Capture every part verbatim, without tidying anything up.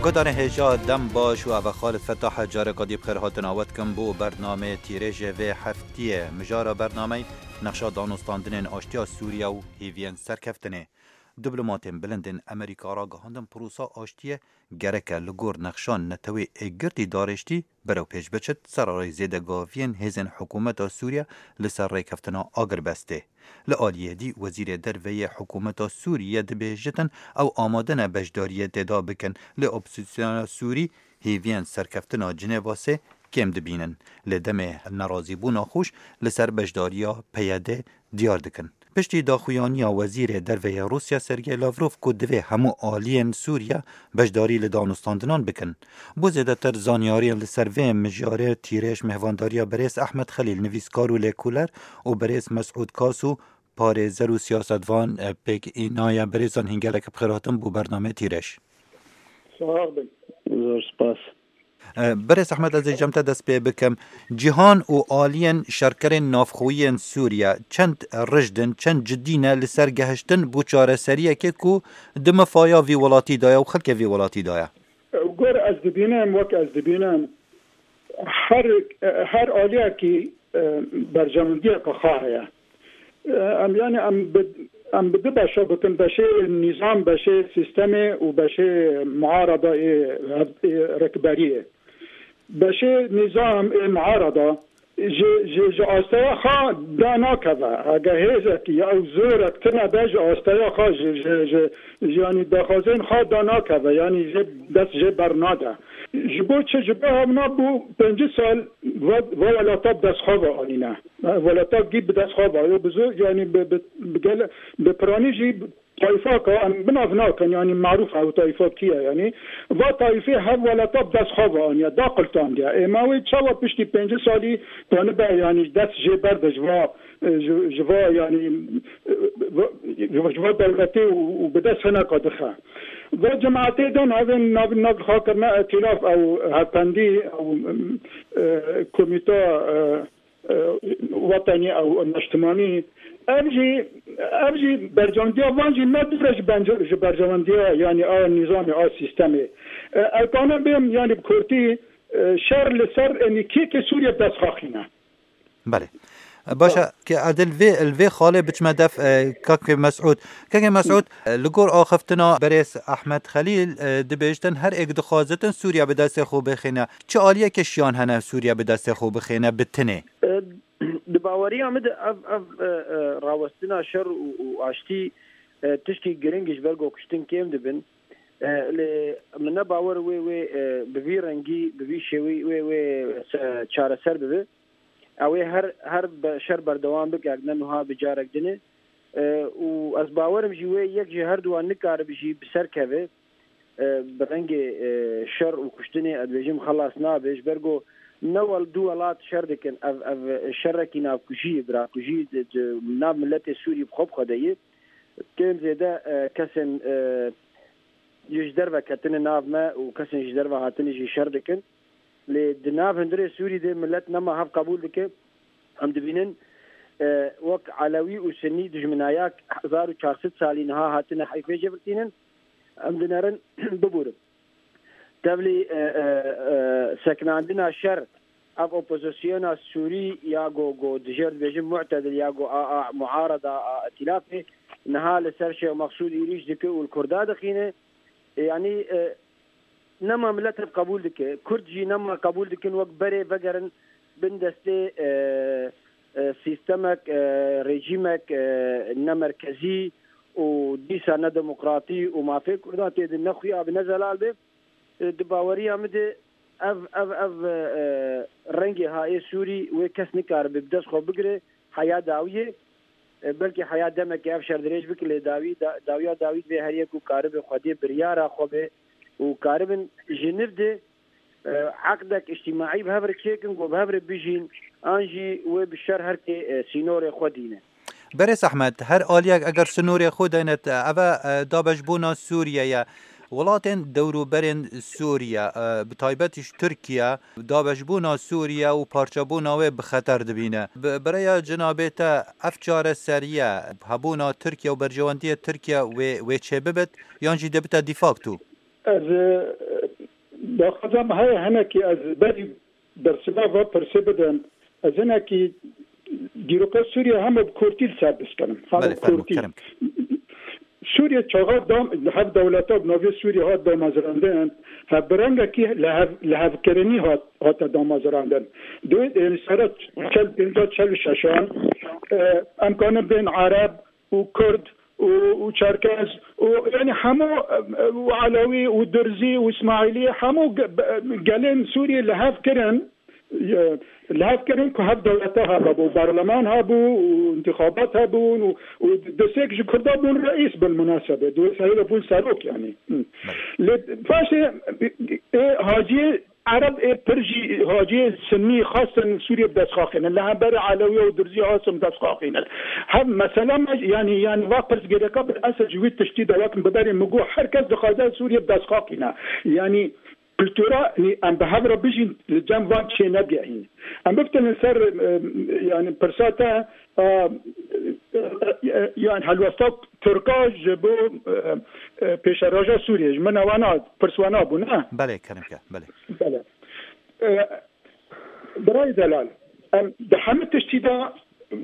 Guhdarên hêja dem baş û eve Xalid Fetah e, careka dî bi xêr hatina we dikim bo bernameyê tîrêjê vê heftiyê. Mijara bernameyê nexşa danûstandinên aştiya Sûriye û hêviyên serkeftinê. Diplomatên bilind ên Amerîka ragihandin, prosa aştiyê gereke li gor nexşa netewê êkgirtî darêştî berew pêş biçit, sererê zêdegaviyên hêzên hikûmeta Sûriye li ser rêkeftina agirbestê. Li aliyê dî, wezîrê derve yê hikûmeta Sûriye dibêjitin, ew amade ne beşdariyê tê de bikin, lê opozîsyona Sûrî hêviyên serkeftina Cinêva sê kêm dibînin. Lê demê nerazîbûna xweş li ser beşdariya P Y D diyar dikin. Piştî daxuyaniya wezîrê derve yê Rûsya Sergey Lavrov ku divê hemû aliyên Sûriye beşdarî li danûstandinan bikin. Bo zêdetir zanyariyên li ser vê mijarê tîrêj mêvandariya berêz Ehmed Xelîl, nivîskar û lêkoler, û berêz Mesûd Kas û parêzer û siyasetvan, e, pêk înaye. Berêzan hîn gelek bi xêr hatin bo bernameyê tîrêj. Sax bin. Zor spas. E, Berêz Ehmed, ez ê cem te dest pê bikim. Cîhan û aliyên şerkerên navxweyî yên Sûriye çend rijd in, çend cidî ne li ser gehiştin bo çareseriyekê ku di mifaya vî welatî de ye û xelkê vî welatî de ye? Gor ez dibînim, wek ez dibînim, her, her aliyekî, e, berjewendiyeke xwe heye. E, em, yani em bi, em bi du beşa bikin, beşê nîzam, beşê sîstemê û beşê muarada ê, ê rikberiyê. Beşê nîzam ê muarada ji, ji, ji asteya xwe da nakeve. Hege hêzekî ya ew zorek tune be ji asteya xwe, ji, ji, ji, ji, yanî daxwazên xwe da nakeve, yanî jê dest jê bernade. Ji bo çi? Ji bo hevna bû pêncî sal va, va welata bi dest xwe ve anîne. Welata gî bi dest xwe ve. Yo bi zor, yanî bi, bi, bi gele, bi piranî jî Taîfaka em bi nav nakin, yanî marûf e ew taîfa kî ye, yanî va taîfê hev welata bi dest xwe ve aniye, da qiltandiye. Ê ma wê çawa piştî pêncî salî tanibe, yanî dest jê berde ji va, e, ji, ji va, yanî, e, va, ji va dewletê û, û bi dest hineka dixe. Va cemaetê de navên nav, nav xwe kirine îtîlaf ew hevpendî ew, e, komîta, e, e, wetenî ew neştimanî. Ev jî, ev jî berjewendiya van jî ne dûr e ji bence-, ji berjewendiya, yanî a nîzamê, a sîstemê. E, ez kanim bêm, yanî bi kurtî, e, şer li ser, yanî kêkê Sûriye bi dest xwe xîne. Belê. Baş e, ke ez li vê, li vê xalê biçime def, e, Kakê Mesûd. Kakê Mesûd, e, li gor axiftina berêz Ehmed Xelîl, e, dibêjtin her êk dixwazitin Sûriye bi destê xwe bixîne. Çi aliyeke şiyan hene Sûriye bi destê xwe bixîne bi tinê? E, di baweriya min de ev, ev, e, e, rawestina şer û, û aştî, e, tişkî giring ji ber ku kuştin kêm dibin. E, lê min ne bawer wê, wê, e, bi vî rengî, bi vî şêwî wê, wê se-, çareser bibe. Ew ê her, her be-, şer berdewam bike, ne niha bi carek din e. E, û ez bawerim jî wê yek ji her duwan nikaribe jî bi ser keve. E, bi rengê, e, şer û kuştinê, ez dibêjim, xelas nabe. Ji ber ku ne wel du welat şer dikin. Ev, ev şerekî navkujî ye, birakujî di, di nav miletê Sûrî bi xwe bi xwe de ye. Kêm zêde, e, kesên, e, ji derve ketine nav me û kesên ji derve hatine jî şer dikin. Lê di nav hundirê Sûrî de milet nema hev qebûl dike. Em dibînin, e, wek Elewî û Sinnî dijminaya hezar û çar sed salî niha hatine heyfê jê birtînin. Em dinerin bibûrin. Tevlî, e, e, e, sekinandina şer, ev opozisyona Sûrî ya go, go dijêr dibêjin mu'tedil ya go a, a muarada, a îtîlafê, niha li ser Şêx Meqsûd êrîş dike û li Kurda dixîne. E, yanî, e, nema milet hev qebûl dike. Kurd jî nema qebûl dikin wek berê vegerin bin destê, e, e, sîstemek, e, rejîmek, e, ne merkezî û dîsa ne demokratî û mafê Kurdan tê de ne xuya be ne zelal be. E, di baweriya min de ev, ev, ev, e, rengê hayê Sûrî wê kes nikaribe bi dest xwe bigire, heya dawiyê. E, belkî heya demekê ev şer dirêj bike, lê dawî, da-, dawiya dawî divê her yek û karibe xwedê biryara xwe be û karibin ji niv de, e, eqdek îctîmaî bi hev re çêkin, ku bi hev re bijîn, an jî wê bi şer her kê, e, sînorê xwe dîne. Berêz Ehmed, her aliyek eger sînorê xwe daynet, ev e, e, dabeşbûna Sûriye ye. Welatên dewrûberên Sûriye, e, bi taybet jî Tirkiye, dabeşbûna Sûriye û parçebûna wê bi xeter dibîne. Bi, bi rêya cenabê te ev çareseriye, hebûna Tirkiye û berjewendiyê Tirkiye wê, wê çêbibit, yan jî dê bite de facto? Ez, e, Daxwaza min heye hinekî ez berî bersiva va pirsê bidim. Ez hinekî dîroka Sûriye hema bi kurtî li ser biskirim. Hema Belê, bi fermo, kurtî. Kerem. Sûriye çaxa dam, hev dewleta bi navê Sûriye hat damezrandin. Hev bi rengekî li hev, li hevkirinî hat, hate damezrandin. Dê, ênî sera çel pênca çel û şeşan, e, em kanin bên Ereb û Kurd û, û Çerkez û, yanî hemû, e, û Elewî û Durzî û Îsmaîlî hemû ge-, be-, gelên Sûriyê li hev kirin, e, li hev kirin ku hev dewleta hebû, berleman hebû û intixabat hebûn û, û desek ji Kurda bûn reîs bil munasebe. Dê wê serê de bûn serok yanî. Hı. Lê paşê, e, haciyê Ereb ê pir jî haciyê Sinnî xwestin Sûriyê bi dest xaxînin. Li hemberî Elewî û Durzî xwestin bi dest xaxînin. Hev mesela me, yanî, yanî va pirsgirêka bi esa ji wî tiştî de wek bi berê min got, her kes dixwaze Sûriyê bi dest xaxîne. Yanî kultura, yanî em bi hev re bijîn, li cem van çê negehîn. Em bifitinin ser, e, yanî pirsa te, e, e, e, yanî helwesta Tirka ji bo, e, e, pêşeroja Sûriyê, ji min ewana, pirs wana bû, ne? Belê, kerem ke, belê. Belê. E, Birayê delal, em di hemî tiştî de,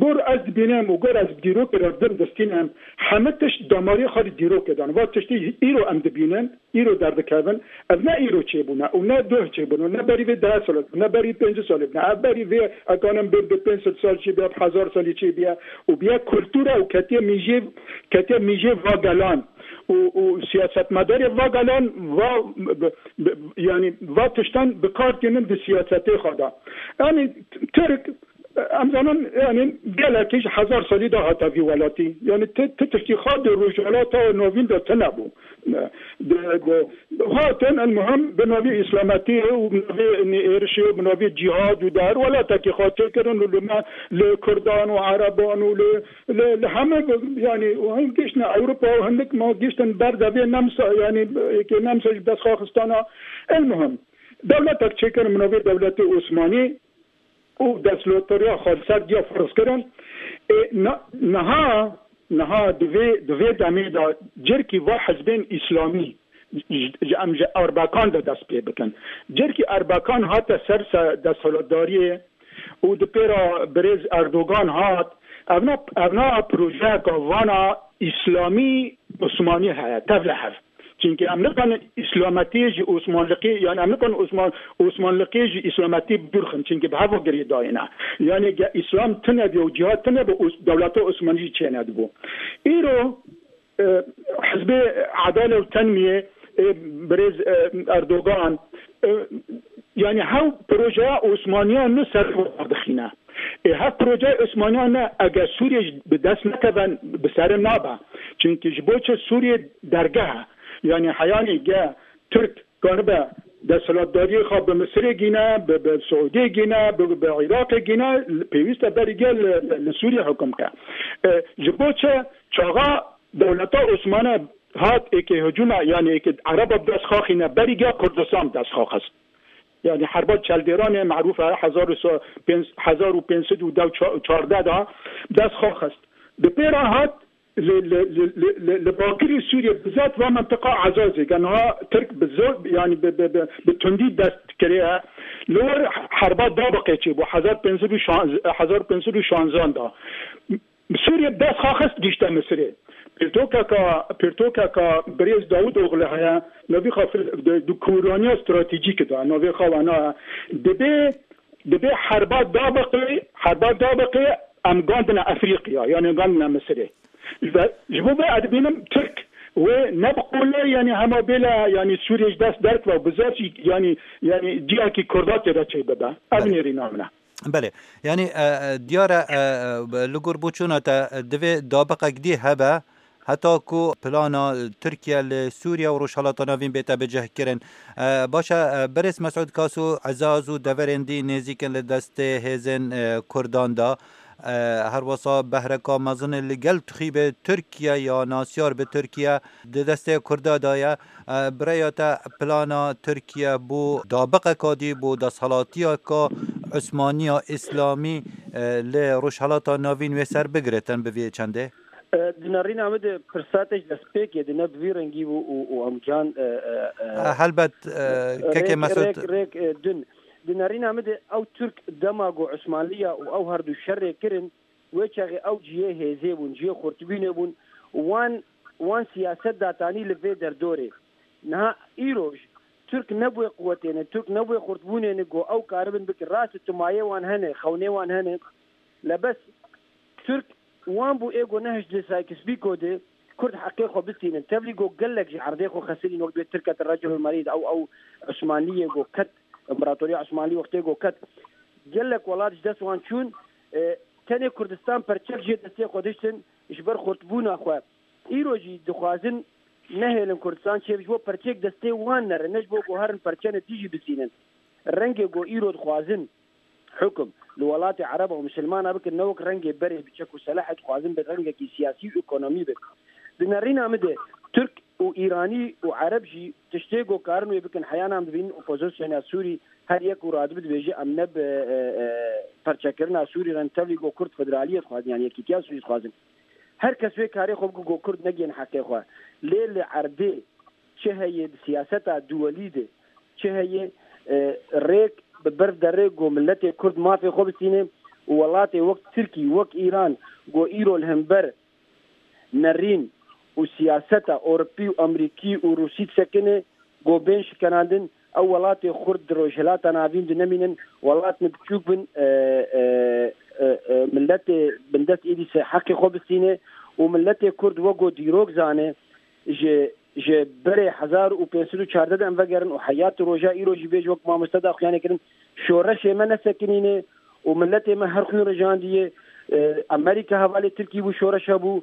gor ez dibînim û gor ez bi dîrokê re dim distînim, hemî tişt damarê xwe li dîrokê dan. Va tiştî îro em dibînin, îro derdikevin. Ev ne îro çêbûne û ne doh çêbûne, ne berî vê deh sal, ne berî pêncî salê bûne. Ev berî vê, ekanin bê bi pênc sed sal çêbiye, bi hezar salî çêbiye û biye kultura û ketiye mîjê, ketiye mîjê va gelan û, û siyasetmedarê va gelan va, bi, bi, yanî va tiştan bi kar tînin di siyasetê xwe de. Yanî Tirk, em zanin, yanî gelekî ji hezar salî de hate vî welatî. Yanî ti, ti tiştî xwe di Rojhilata Navîn de tune bû. Di, di, hatin, el muhim, bi navê Îslametiyê û bi navê êrişê û bi navê cîhad û di her welatekî xwe çêkirin û li me, li Kurdan û Ereban û li, li, li heme, yanî, û him giştine Ewropa û hindik ma giştin ber devê nemsa, yanî, êkê nemsa ji dest xwe xistana. El muhim, dewletek çêkirin bi navê dewletê Osmanî û desthilatdariya xwe li ser diya ferz kirin. Ê, na-, niha, niha di vê, di vê demê de cirkî va hizbên îslamî ji, ji, em ji Erbekan de dest pê bikin. Cirkî Erbekan hate ser se-, desthilatdariyê û di pêra birêz Erdogan hat. Evna, evna projeyeka vana îslamî Osmanî heye, tevlihev. Çimkî em nikarin îslametiyê ji Osmanliqî, yanî em nikarin Osman-, Osmanliqiyê ji îslametiyê bi dûr xin, çimkî bi hev ve girêdayî ne. Yanî ge îslam tune bî û cîhad tune bî, Os-, dewleta Osmanî jî çênedibû. Îro, e, Hizbê Edale û Tenmiyê, e, birêz, e, Erdogan, e, yanî hew projeya Osmaniyan li ser dixîne. Ê hev projeya Osmaniyan ne, eger Sûriye jî bi dest nekeve, bi serê nabe. Çimkî ji bo çi Sûriye dergeh e. Yanî heyanî ge Tirk karibe desthilatdariyê xwe bi Misirê gîne, bi, bi Siûdiyê gîne, bi, bi Iraqê gîne, pêwîst e berî ge li, li, li Sûriye hukm ke. E, ji bo çi çaxa dewleta Osmane hat êkê hicûme, yanî êkê Ereba bi dest xaxîne, berî ge Kurdistan bi dest xaxist. Yanî herba Çeldêranê merûf e, hezar û pênc sed û çardeh de bi dest xaxist. Di pêra hat li, li, li, li, li, li bakirî Sûriye, bizat va mentiqa Ezazê, ke niha Tirk bi zor, yanî bi, bi, bi, bi tundî dest kiriye. Li wir herba Dabiqê çêbû, hezar pênc sed û şanzeh, hezar pênc sed û şanzeh de. Sûriye bi dest xaxist gişte Misirê. Pirtokeka, pirtokeka birêz Dawudoğlu heye, navî xwe fil-, di, di kûraniya stratejîk de, navê xwe wana. Dibê, dibê herba Dabiqê, herba Dabiqê em gandine Efrîqiya, yanî gandine Misirê. Ve ji bo vê ez dibînim Tirk wê ne bi qolê, yanî hema bêle, yanî Sûriye ji dest derkeve, bizar jî, yanî, yanî cihekî Kurda tê de çêbibe. Ev Belê. nêrîna min e. Belê. Yanî, e, e, diyar e, e, li gor boçûna te, e, divê dabiqek dî hebe, heta ku plana Tirkiye li Sûriye û Rojhelata Navîn bête bicihkirin. E, baş e, e, birêz Mesûd Kaso, Ezaz û deverên dî nêzîk in li destê hêzên, e, Kurdan de. E, her wesa behreka mezin li gel tixîbê Tirkiye ya nasyar bi Tirkiye di destê Kurda de ye. E, bi rêya te plana Tirkiye bo dabiqeka dî, bo desthilatiyeka Osmaniya Îslamî, e, li Rojhelata Navîn wê ser bigiritin bi vê çendê? E, di nerîna min de pirsa te ji destpêkê de ne bi vî rengî bû û, û em can, e, e, e, E, helbet, e, kekê rêk, Mesut. Rêk, rêk, e, din. Di nerîna min de ew Tirk dema ku Osmanliya û ew her du şerê kirin, wê çaxê ew cihê hêzê bûn, cihê xurtbûnê bûn. Wan, wan siyaset datanî li vê derdorê. Niha îroj Tirk nebûye quwetê ne, Tirk nebûye xurtbûnê ne, ku ew karibin bikin. Rast e, timayê wan hene, xewnê wan hene. Lebes Tirk wan bû ê ku nehişt li Sykes-Picot de Kurd heqê xwe bistînin. Tevlî ku gelek ji erdê xwe xesirîn, wek bê Tirk ket Recelul Merîd, ew, ew Osmanliyê ku ket, Împaratoriya Osmanlî wextê ku ket. Gelek welat ji dest wan çûn, e, tenê Kurdistan perçek jê destê xwe diştin ji ber xurtbûna xwe. Îro jî dixwazin nehêlin Kurdistan çêbe, ji bo perçek destê wan nerin, ne ji bo ku herin perçene dî jî bistînin. Rengê ku îro dixwazin hukum li welatê Ereba û Misilmana bikin, ne wek rengê berê bi çek û selehê dixwazin bi rengekî siyasî û ekonomî bin. Di nerîna min de Tirk û Îranî û Ereb jî tiştê ku karin wê bikin, heya nan dibînin opozisyona Sûrî her yek û radibe dibêje, em ne bi, e, e, perçekirina Sûrî re ne, tevlî ku Kurd federaliyê dixwazin, yanî yekîtiya Sûrî dixwazin. Her kes wê karê xwe bike ku Kurd negihên heqê xwe. Lê li erdê çi heye, di siyaseta duwelî de çi heye, e, rêk bi ber derê ku miletê Kurd mafê xwe bistîne û welatê wek Tirkî, wek Îran, ku îro li hember nerîn û siyaseta Ewropî û Amerîkî û Rûsî disekine, ku bên şikenandin, ew welatê Kurd di Rojhilata Navîn de nemînin, welatên biçûk bin, e, e, e, e, miletê bindest êdî ser heqê xwe bistîne û miletê Kurd wek ku dîrok zane, ji, ji berê hezar û pênc sed û çardeh de em vegerin û heya tu roja îro jî bêje wek mamoste daxuyanê kirin, şoreşê me nesekinîne û miletê me her xwîn rijandiye. E, Amerîka hevalê Tirkî bû, şoreşa bû.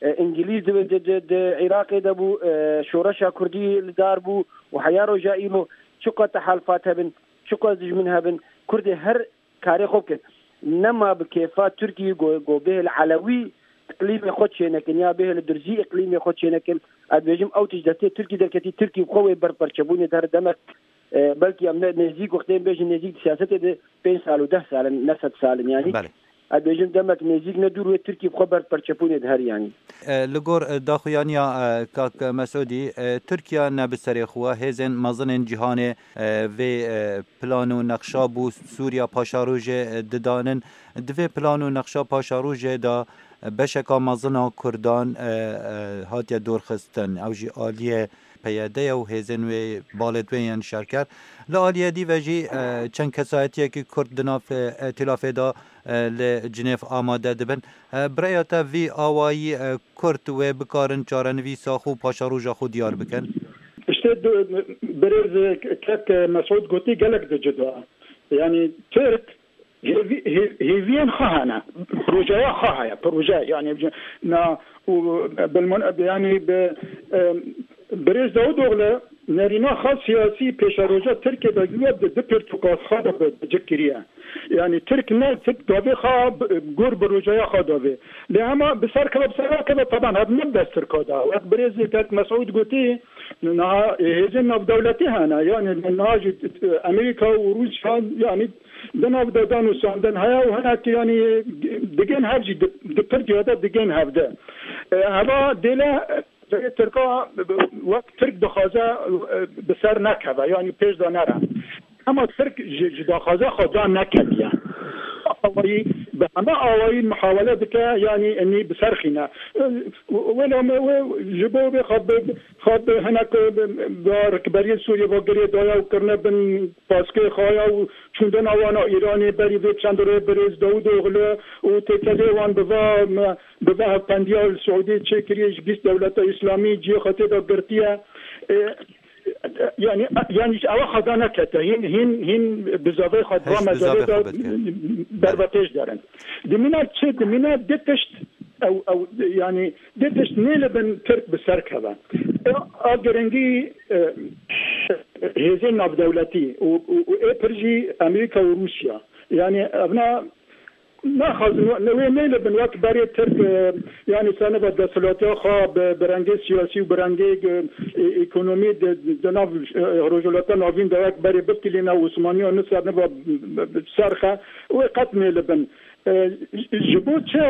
E, Îngilîz di, di, di, di Iraqê de bû, e, şoreşa Kurdî li dar bû û heya roja îro çiqas tehalifat hebin, çiqas dijmin hebin, Kurdê her karê xwe bikin. Nema bi kêfa Tirkî go, go bihê li Elewî îqlîmê xwe çênekin ya bihê li Durzî îqlîmê xwe çênekin. Ez dibêjim ew tişt destê Tirkî derketî, Tirkî bi xwe wê ber perçebûnê de her demek, e, belkî em ne nêzîk wextê em bêjin nêzîk di siyasetê de pênc sal û deh sal in, ne sed sal in yanî. Belê. Ez dibêjim demek nêzîk ne dûr wê Tirkî bi xwe ber perçebûnê de her yanî. E, li gor, e, daxuyaniya, e, kak Mesûdî, e, Tirkiye ne bi serê xwe, hêzên mezinên cîhanê, e, vê, e, plan û nexşa bû Sûriya Paşarojê, e, didanin. Di vê plan û nexşa Paşarojê de, e, beşeka mezin a Kurdan, e, e, hatiye dorxistin. Ew jî aliyê P Y D ye û hêzên wê balê wê yên şerker. Li aliyê dî ve jî, e, çend kesayetiyekî Kurd di nav, e, îtîlafê de, e, li Cinêv amade dibin. E, bi rêya te vî awayî, e, Kurd wê bikarin çarenivîsa xwe û paşeroja xwe diyar bikin? Îşte du-, birêz kek Mesûd gotî gelek di cida. Yanî Tirk hêvî-, hê-, hêviyên xwe hene. Projeye xwe heye. Proje, yanî, na, û, bilmon-, yanî, bi, em, Birêz Dawudoğlu nerîna xwe siyasî pêşeroja Tirkiyê de wê di du pirtûka xwe de bi, bi cik kiriye. Yanî Tirk ne, Tirk davê xwe bi, gor bi rojaya xwe davê. Lê hema bi ser keve, bi ser keve taban hev ne bi dest Tirka de. Wek birêz kek Mesûd gotî, niha hêzên navdewletî hene. Yanî niha jî Amerîka û Rûsya, yanî di nav de danûstandin heye û hinek, yanî digên hev jî di, di pir ciya de digên hev de. E, heva dêle Tirka wek Tirk dixwaze, e, bi ser nekeve, yanî pêş de nere. Hema Tirk ji, ji daxwaza xwe da neketiye. Awayî, bi heme awayî muhawele dike, yanî enî bi ser xîne. E, wela me wê ji bo vê xwe bi, xwe bi hinek, e, bi, bi rikberiyê Sûriyê ve girê daye û kirine bin paskê xwe ya û çûndina wana Îranê berî vê çend rê birêz Dawudoğlu û têkelê wan bi va me, bi va hevpendiya li Siûdiyê çêkiriye ji bîst dewleta Îslamî cihê xwe tê de girtiye. E, yanî, yanî ji ewa xwe da nekete. Hîn, hîn, hîn bizavê xwe Hêj va bizavê mecelê de xwe bidike. Berve pêş derin. Dimîne çi? Dimîne di tişt ew, ew, yanî di tişt nêlibin Tirk bi ser keve. E, a giringî, e, hêzên navdewletî û, û, û ê pir jî Amerîka û Rûsya. Yanî evna naxwazin, ne wê nêlibin wek berê Tirk, e, yanî seniva desthilatiya xwe bi, bi rengê siyasî û bi rengê, e, e, ekonomî di, di nav, e, Rojhilata Navîn de wek berê bikilîne Osmaniya ne seniva bi, bi, bi serxe, wê qet nêlibin. E, ji bo çi,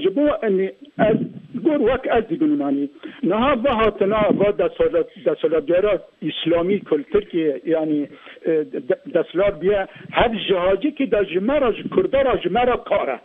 ji bo, enî, ez Gor wek ez dibînim, yanî niha va hatina va desola-, desoladyara îslamî ku li Tirkiyê, yanî, e, de-, deslat biye, hev jihacikî de ji me re, ji Kurda re, ji me re kar e.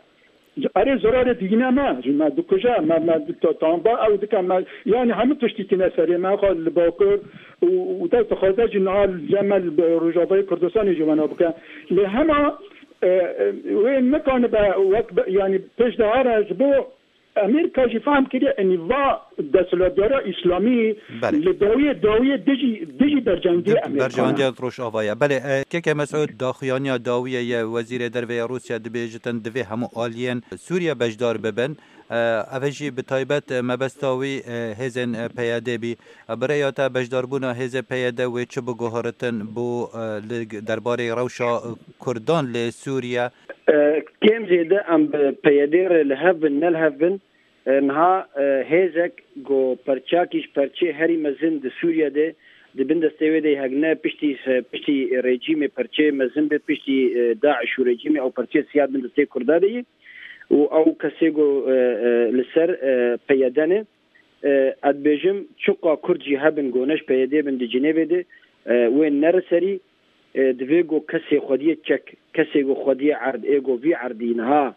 Erê zirarê dîne me, ji me dikuje, me, me di-, ta-, tamba ew dike, me, yanî hemû tiştî tîne serê me, xwe li Bakur û, û dest dixwaze jî niha li me li Rojavayê Kurdistanê jî wena bike. Lê hema, e, e, wê nikanibe wek be, yanî pêş de here ji bo Amerîka jî fehm kiriye, enî va desthilatdara îslamî Belê. li dawiyê, dawiyê dijî, dijî berjewendiyê Amerîka ne. Berjewendiya Rojava ye. Belê, e, keke Mesûd daxuyaniya dawiyê ye Wezîrê Derve ya Rûsya dibêjitin divê hemû aliyên Sûriye beşdar bibin. E, ev jî bi taybet, e, mebesta wî, e, hêzên, e, P Y D bî. E, bi rêya te beşdarbûna hêzê P Y D wê çi biguheritin bo, e, li derbarê rewşa, e, Kurdan li Sûriye? E, kêm zêde em bi P Y D re li hev bin, ne li hev bin, e, niha, e, hêzek ku perçakî ji perçê herî mezin di Sûriye de, di bin destê wê de hegine piştî, piştî rejîmê perçê mezin be, piştî, e, DAIŞ û rejîmê ew perçê siya bin destê Kurda de ye û ew kesê ku, e, e, li ser, e, P Y D ne. E, ez dibêjim, çiqa Kurd jî hebin, ku ne ji P Y D bin di Cinêvê de, e, wê nere serî, e, divê ku kesê xwediyê çek, kesê ku xwediyê erd, ê ku vî erdî niha,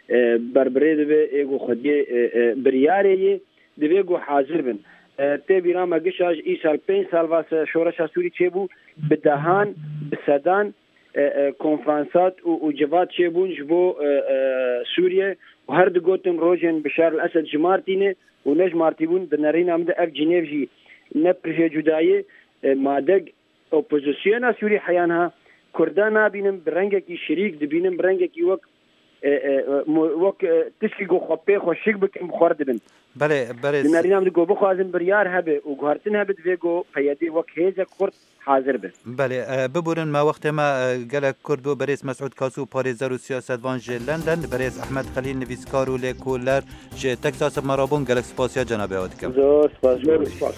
e, berbirê dibe, ê ku xwediyê, e, e, biryarê yê, divê ku hazir bin. E, tê bîra me gişa ji îsal pênc sal va se şoreşa Sûrî çêbû, bi dehan, bi sedan, e, e, konferansat û, û civat çêbûn ji bo, e, e, Sûriye û her digotin rojên Bişar el Esed jimartî ne û ne jimartî bûn. Di nerîna min de ev Cinêv jî ne pir jê cuda ye. E, madeg opozisyona Sûrî heya niha Kurda nabînim, bi rengekî şirîk dibînim, bi rengekî wek, e, e, e, mo-, wek, e, tişkî ku xwe pê xwe şik bikin, bi xwe re dibin. Belê, berêz. Di nerîna min de ku bixwazin biryar hebe û guhertin hebe, divê ku P Y D wek hêzek xurt hazir be. Belê, e, biborin me wextê me, e, gelek kurt bû. Berêz Mesûd Kasû, parêzer û siyasetvan ji London, berêz Ehmed Xelîl, nivîskar û lêkoler ji Texas bi me re bûn. Gelek spasiya cenabê we dikim. Zor spas. Zor spas.